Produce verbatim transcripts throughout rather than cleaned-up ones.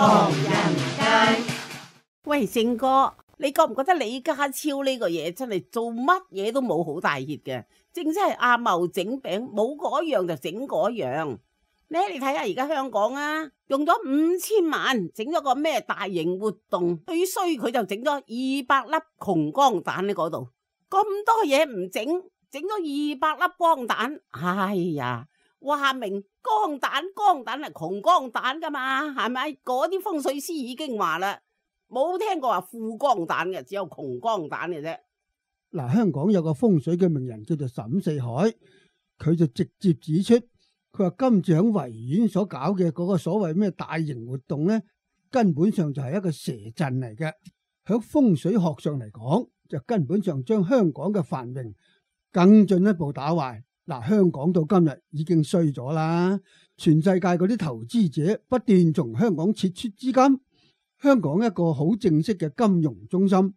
唐人街。喂，正哥，你覺唔覺得李家超呢個嘢真係做乜嘢都冇好大熱嘅？正真係阿茂整餅，冇嗰樣就整嗰樣。咧，你睇下而家香港啊，用咗五千萬整咗個咩大型活動，最衰佢就整咗二百粒窮光蛋喺嗰度，咁多嘢唔整，整咗二百粒光蛋，哎呀，話明光蛋光蛋係窮光蛋噶嘛，係咪？嗰啲風水師已經話啦，冇聽過話富光蛋嘅，只有窮光蛋嘅啫。嗱，香港有個風水嘅名人叫做沈四海，佢就直接指出。佢話今次喺維園所搞嘅嗰個所謂咩大型活動咧，根本上就係一個蛇陣嚟嘅。喺風水學上嚟講，就根本上將香港嘅繁榮更進一步打壞。嗱，香港到今日已經衰咗啦，全世界嗰啲投資者不斷從香港撤出資金，香港一個好正式嘅金融中心、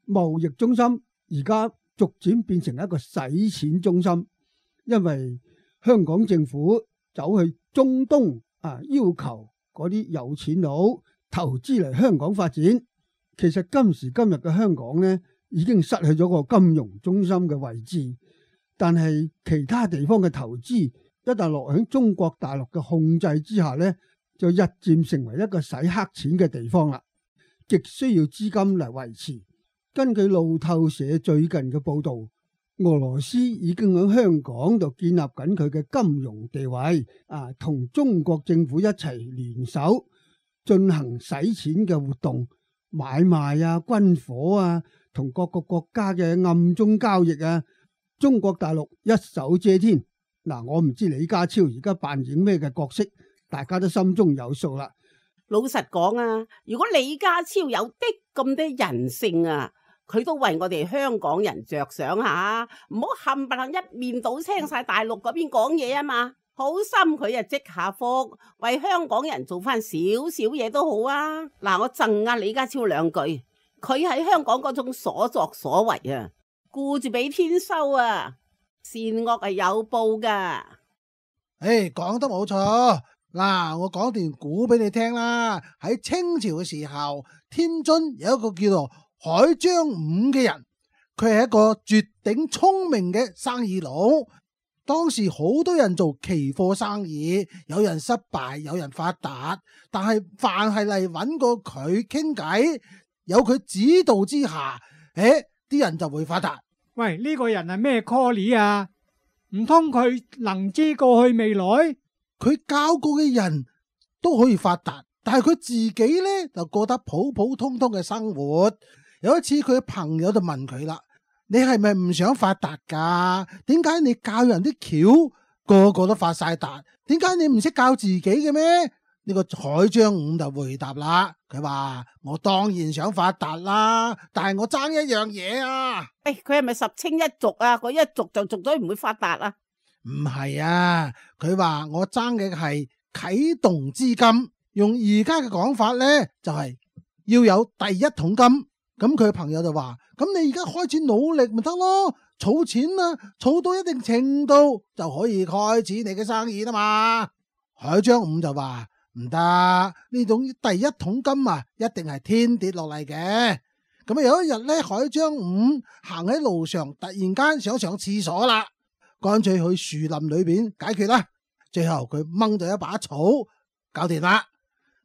貿易中心，而家逐漸變成一個洗錢中心，因為香港政府走去中東啊，要求嗰啲有錢佬投資嚟香港發展。其實今時今日嘅香港呢，已經失去咗個金融中心嘅位置。但係其他地方嘅投資一旦落喺中國大陸嘅控制之下呢，就日漸成為一個洗黑錢嘅地方啦，極需要資金嚟維持。根據路透社最近嘅報導，俄羅斯已經喺香港度建立緊佢嘅金融地位，啊，同中國政府一齊聯手進行洗錢嘅活動、買賣啊、軍火啊，同各個國家嘅暗中交易啊。中國大陸一手遮天。嗱，我唔知李家超而家扮演咩嘅角色，大家都心中有數啦。老實講啊，如果李家超有啲咁多人性啊，佢都為我哋香港人着想下，唔好冚唪唥一面倒青晒大陸嗰邊講嘢啊嘛。好心佢啊積下福，為香港人做翻少少嘢都好啊。嗱，我贈阿李家超兩句，佢喺香港嗰種所作所為啊，顧住俾天收啊，善惡係有報噶。誒，講得冇錯。嗱，我講段古俾你聽啦。喺清朝嘅時候，天津有一個叫做海張五嘅人，佢係一個絕頂聰明嘅生意佬。當時好多人做期貨生意，有人失敗，有人發達，但係凡係嚟揾過佢傾偈，有佢指導之下，誒，啲人就會發達。喂，呢個人係咩 call 啊？唔通佢能知過去未來？佢教過嘅人都可以發達，但係佢自己呢就過得普普通通嘅生活。有一次佢朋友就問佢啦：你係咪唔想發達噶？點解你教人啲橋個個都發晒達？點解你唔識教自己嘅咩？呢個海張五就回答啦，佢話：我當然想發達啦，但係我爭一樣嘢啊！誒，佢係咪十清一族啊？佢一族就族咗唔會發達啊？唔係啊，佢話我爭嘅係啟動資金，用而家嘅講法呢，就係要有第一桶金。咁佢朋友就話：咁你而家開始努力咪得咯，儲錢啊，儲到一定程度就可以開始你嘅生意啦嘛。海張五就話：唔得，呢種第一桶金啊，一定係天跌落嚟嘅。咁啊有一日呢，海張五行喺路上，突然間想上廁所啦。乾脆去樹林裏邊解決啦。最後佢掹咗一把草，搞掂啦。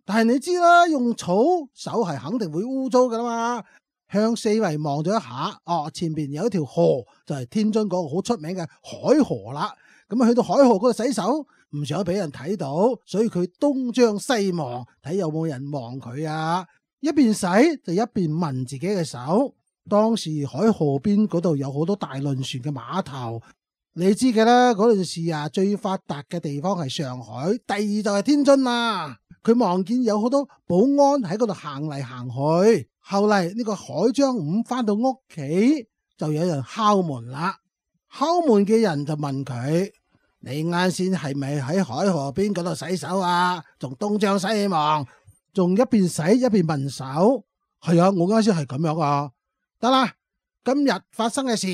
但係你知啦，用草手係肯定會污糟噶啦嘛。向四圍望咗一下，哦，前邊有一條河，就係天津嗰個好出名嘅海河啦。咁啊，去到海河嗰度洗手，唔想俾人睇到，所以佢東張西望，睇有冇人望佢啊。一邊洗就一邊聞自己嘅手。當時海河邊嗰度有好多大輪船嘅碼頭。你知嘅啦，嗰陣時啊，最發達嘅地方係上海，第二就係天津啦。佢望見有好多保安喺嗰度行嚟行去。後嚟呢個海張五翻到屋企，就有人敲門啦。敲門嘅人就問佢：你啱先係咪喺海河邊嗰度洗手啊？仲東張西望，仲一邊洗一邊聞手。係啊，我啱先係咁樣啊。得啦，今日發生嘅事，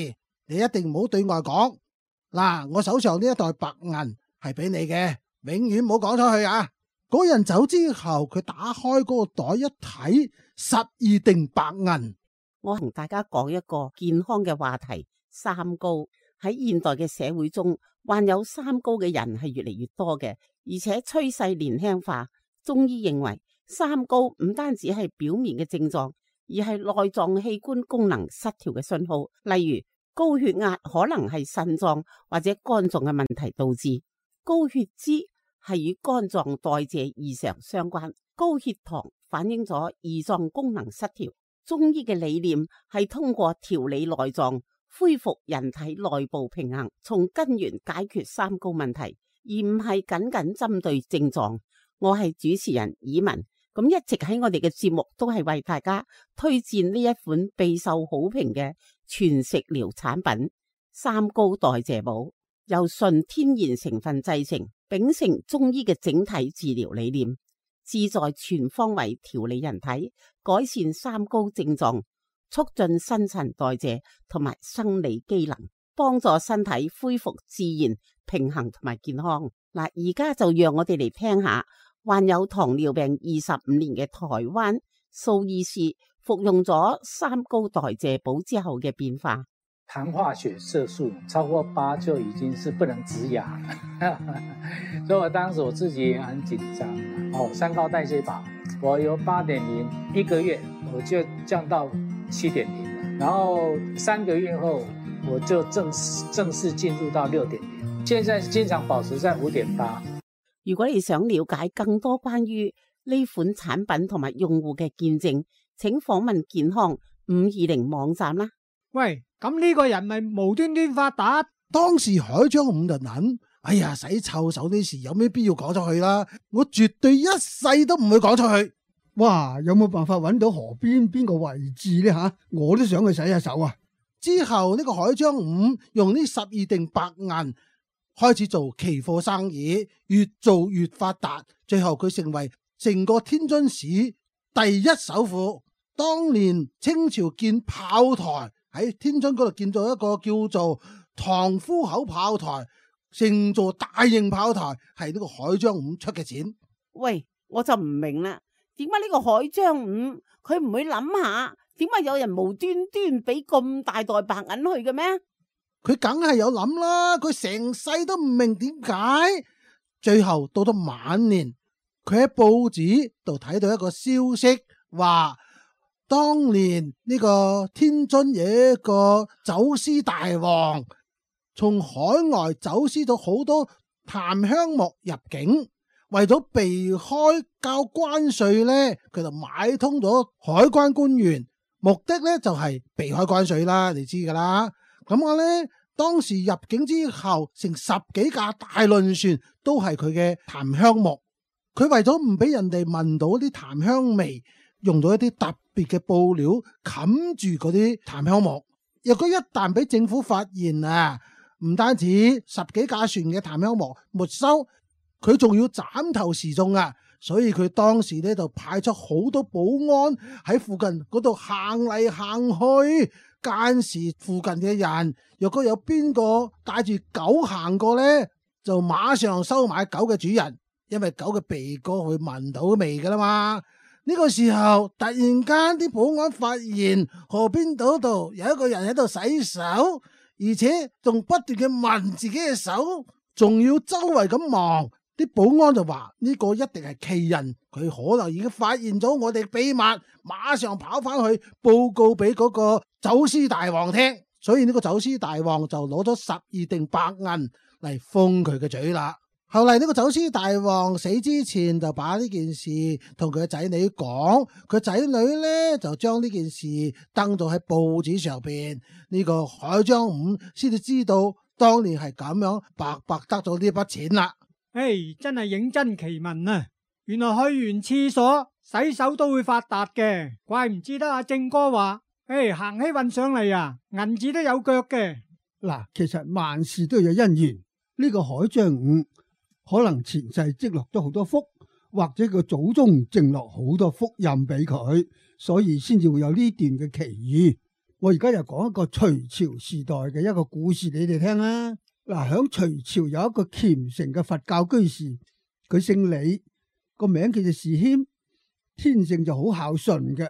你一定唔好對外講。嗱，我手上呢一袋白銀係俾你嘅，永遠唔好講出去啊！嗰人走之後，佢打開嗰個袋一睇，十二錠白銀。我同大家講一個健康嘅話題，三高。喺現代嘅社會中，患有三高嘅人係越嚟越多嘅，而且趨勢年輕化。中醫認為，三高唔單止係表面嘅症狀，而係內臟器官功能失調嘅信號。例如高血壓可能係腎臟或者肝臟嘅問題導致，高血脂係與肝臟代謝異常相關，高血糖反映咗胰臟功能失調。中醫嘅理念係通過調理內臟，恢復人體內部平衡，從根源解決三高問題，而唔係僅僅針對症狀。我係主持人以文，咁一直喺我哋嘅節目都係為大家推薦呢一款備受好評嘅全食療產品三高代謝寶，由純天然成分製成，秉承中醫嘅整體治療理念，旨在全方位調理人體，改善三高症狀，促進新陳代謝同埋生理機能，幫助身體恢復自然平衡同埋健康。嗱，而家就讓我哋嚟聽下患有糖尿病二十五年嘅台灣蘇醫師服用咗三高代謝寶之後嘅變化。糖化血色素超過八就已經是不能植牙了，所以我當時我自己也很緊張。哦，三高代謝寶，我由八點零一個月我就降到七點零，然後三個月後我就正式正式進入到六點零，現在經常保持在五點八。如果你想了解更多關於呢款產品同埋用戶嘅見證，請訪問健康五二零網站啦。喂，咁呢個人咪無端端發達？當時海張五就諗，哎呀，洗臭手呢事有咩必要講出去啦？我絕對一世都唔會講出去。哇，有冇辦法揾到河邊邊個位置呢？吓，我都想去洗下手啊！之後呢個海張五用呢十二錠白銀開始做期貨生意，越做越發達，最後佢成為成個天津市第一首富。當年清朝建炮台，喺天津嗰度建造一個叫做塘夫口炮台，成座大型炮台係呢個海張五出嘅錢。喂，我就唔明啦，點解呢個海張五佢唔會諗下，點解有人無端端俾咁大袋白銀去嘅咩？佢梗係有諗啦，佢成世都唔明點解。最後到咗晚年，佢喺報紙度睇到一個消息，話當年呢個天津有一個走私大王，從海外走私咗好多檀香木入境，為咗避開交關稅呢，佢就買通咗海關官員，目的呢就係避開關稅啦，你知噶啦。咁我呢，當時入境之後，成十幾架大輪船都係佢嘅檀香木。佢為咗唔俾人哋聞到啲檀香味，用咗一啲特別嘅布料冚住嗰啲檀香木。若果一旦俾政府發現啊，唔單止十幾架船嘅檀香木沒收，佢仲要斬頭示眾啊！所以佢當時呢就派出好多保安喺附近嗰度行嚟行去。間時附近嘅人，若果有邊個帶住狗行過呢，就馬上收買狗嘅主人，因為狗嘅鼻哥會聞到味噶啦嘛。呢個時候突然間啲保安發現河邊島度有一個人喺度洗手，而且仲不斷嘅聞自己嘅手，仲要周圍咁望。啲保安就話呢個一定係奇人，佢可能已經發現咗我哋秘密，馬上跑翻去報告俾嗰個走私大王聽。所以呢個走私大王就攞咗十二錠白銀嚟封佢嘅嘴啦。後嚟呢個走私大王死之前就把呢件事同佢嘅仔女講，佢仔女呢就將呢件事登咗喺報紙上邊，呢個海張五先至知道當年係咁樣白白得咗呢筆錢啦。唉，真係認真奇聞啊！原來去完廁所洗手都會發達嘅，怪唔知得阿正哥話，唉，行起運上嚟啊，銀紙都有腳嘅。嗱，其實萬事都有因緣，呢個海張五可能前世積落咗好多福，或者個祖宗剩落好多福蔭俾佢，所以先至會有呢段嘅奇遇。我而家又講一個隋朝時代嘅一個故事你哋聽啦。嗱，響隋朝有一個虔誠嘅佛教居士，佢姓李，個名叫做士謙，天性就好孝順嘅，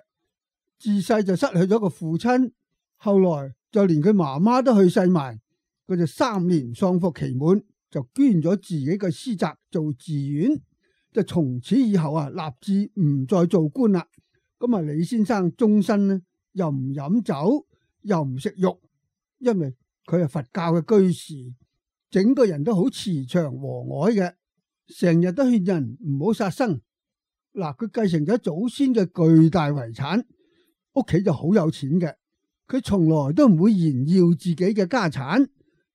自細就失去咗個父親，後來就連佢媽媽都去世埋，佢就三年喪服期滿，就捐咗自己嘅私宅做寺院，就從此以後啊立志唔再做官啦。咁啊李先生終身呢又唔飲酒，又唔食肉，因為佢係佛教嘅居士，整個人都好慈祥和藹嘅，成日都勸人唔好殺生。嗱，佢繼承咗祖先嘅巨大遺產，屋企就好有錢嘅，佢從來都唔會炫耀自己嘅家產，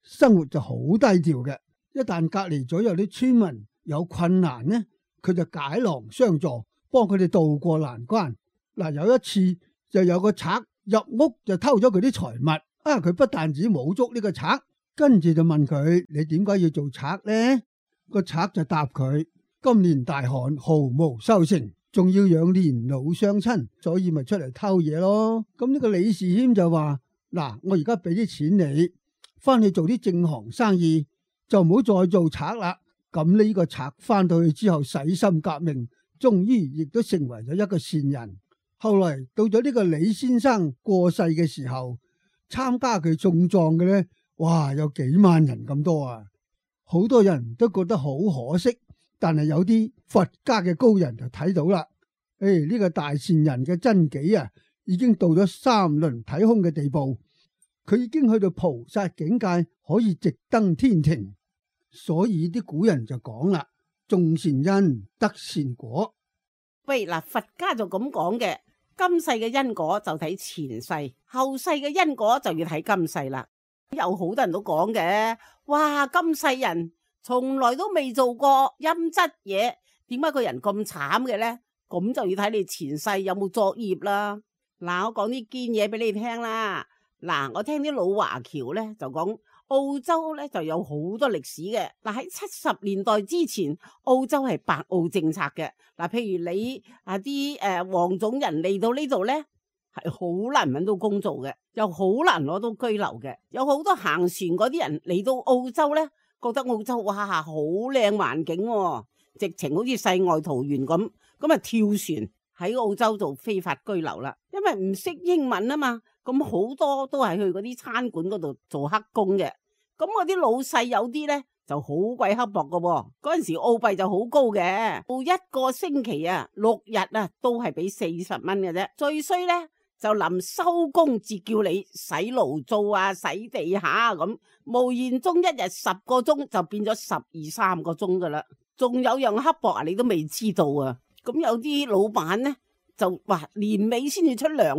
生活就好低調嘅。一旦隔籬左右啲村民有困難呢，佢就解囊相助，幫佢哋渡過難關。嗱，有一次就有個賊入屋就偷咗佢啲財物，啊，佢不但止冇捉呢個賊，跟住就問佢：你點解要做賊呢？個賊就答佢：今年大旱，毫無收成，仲要養年老雙親，所以咪出嚟偷嘢咯。咁呢個李士謙就話：嗱，我而家俾啲錢你，翻去做啲正行生意，就唔好再做賊啦。咁呢個賊翻到去之後洗心革面，終於亦都成為咗一個善人。後來到咗呢個李先生過世嘅時候，參加佢送葬嘅呢，哇，有幾萬人咁多啊！好多人都覺得好可惜，但係有啲佛家嘅高人就睇到啦，誒、哎、呢、這個大善人嘅真己啊，已經到咗三輪體空嘅地步，佢已經去到菩薩境界，可以直登天庭。所以啲古人就講啦：種善因得善果。喂，嗱，佛家就咁講嘅。今世嘅因果就睇前世，後世嘅因果就要睇今世啦。有好多人都講嘅，哇，今世人從來都未做過陰質嘢，點解個人咁慘嘅呢？咁就要睇你前世有冇作業啦。嗱，我講啲堅嘢俾你聽啦。嗱，我聽啲老華僑呢就講，澳洲呢就有好多歷史嘅。嗱，喺七十年代之前，澳洲係白澳政策嘅。嗱，譬如你啊啲誒黃種人嚟到呢度呢，係好難揾到工做嘅，又好難攞到居留嘅。有好多行船嗰啲人嚟到澳洲呢，覺得澳洲哇好靚環境喎，直情好似世外桃源咁，咁啊跳船喺澳洲做非法居留啦。因為唔識英文啊嘛，咁好多都係去嗰啲餐館嗰度做黑工嘅。咁我啲老細有啲呢就好鬼刻薄噶，嗰陣時澳幣就好高嘅，到一個星期啊六日啊都係俾四十蚊嘅啫。最衰呢就臨收工至叫你洗爐灶啊、洗地下咁，無言中一日十個鐘就變咗十二三個鐘噶啦。仲有樣刻薄啊，你都未知道啊。咁有啲老闆呢就話年尾先至出糧，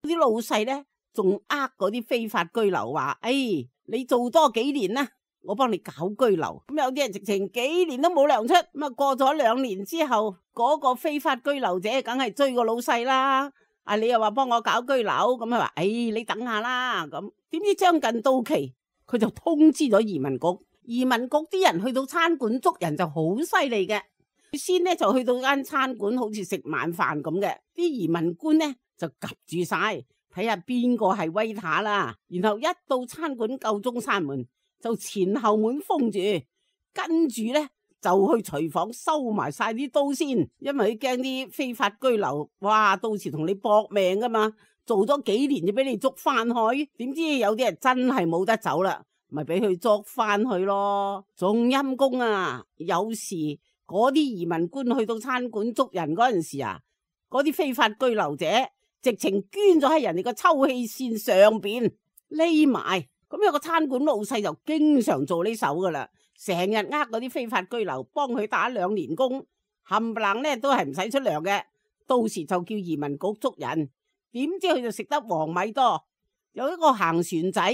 啲老細呢仲呃嗰啲非法居留話，誒、哎，你做多幾年啦，我幫你搞居留。咁有啲人直情幾年都冇糧出，咁啊過咗兩年之後，嗰個非法居留者梗係追個老細啦。啊，你又話幫我搞居留，咁佢話，誒，你等下啦。咁點知將近到期，佢就通知咗移民局。移民局啲人去到餐館捉人就好犀利嘅，先呢就去到間餐館好似食晚飯咁嘅，啲移民官呢就及住晒，睇下邊個係威塔啦。然後一到餐館夠鐘閂門，就前後門封住，跟住呢就去廚房收埋晒啲刀先，因為佢驚啲非法居留，哇，到時同你搏命噶嘛，做咗幾年就俾你捉翻去，點知有啲人真係冇得走啦，咪俾佢捉翻去咯。仲陰公啊，有時嗰啲移民官去到餐館捉人嗰陣時啊，嗰啲非法居留者直情捐咗喺人哋個抽氣扇上邊匿埋，咁有個餐館老細就經常做呢手噶啦。成日呃嗰啲非法居留，幫佢打兩年工，冚唪唥咧都係唔使出糧嘅。到時就叫移民局捉人，點知佢就食得黃米多。有一個行船仔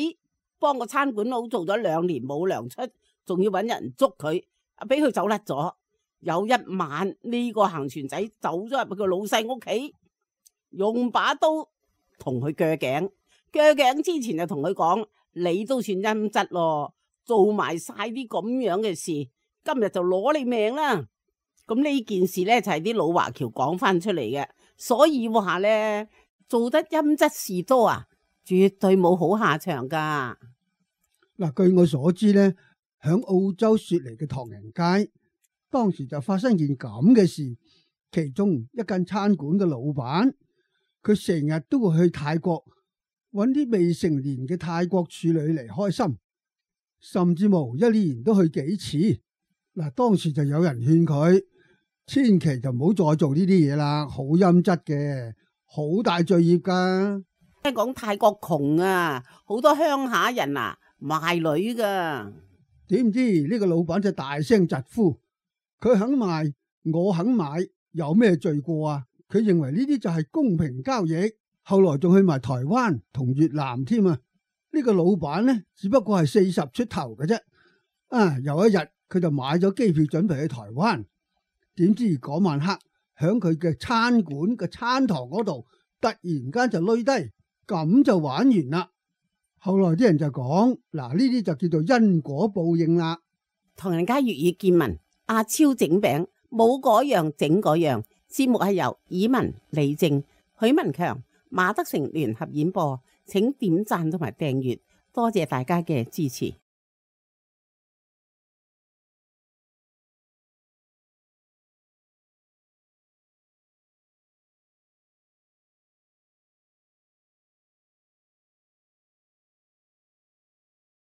幫個餐館佬做咗兩年冇糧出，仲要搵人捉佢，啊俾佢走甩咗。有一晚呢個行船仔走咗入個老細屋企，用把刀同佢鋸頸。鋸頸之前就同佢講：你都算陰質咯。做埋晒啲咁樣嘅事，今日就攞你命啦！咁呢件事呢，就係啲老華僑講翻出嚟嘅，所以話呢，做得陰質事多啊，絕對冇好下場噶。嗱，據我所知呢，響澳洲雪梨嘅唐人街當時就發生件咁嘅事，其中一間餐館嘅老闆，佢成日都會去泰國揾啲未成年嘅泰國處女嚟開心，甚至乎一年都去幾次。嗱，當時就有人勸佢，千祈就唔好再做呢啲嘢啦，好陰質嘅，好大罪業噶。聽講泰國窮啊，好多鄉下人啊賣女噶。點知呢個老闆就大聲疾呼，佢肯賣，我肯買，有咩罪過啊？佢認為呢啲就係公平交易，後來仲去埋台灣同越南添啊！呢個老闆呢，只不過係四十出頭嘅啫。啊，有一日佢就買咗機票準備去台灣，點知嗰晚黑響佢嘅餐館嘅餐堂嗰度，突然間就累低，咁就玩完啦。後來啲人就講，嗱，呢啲就叫做因果報應啦。唐人街粵語見聞，阿超整餅，冇嗰樣整嗰樣。節目係由以文、李正、許文強、馬德成聯合演播，請點讚同埋訂閱，多謝大家嘅支持。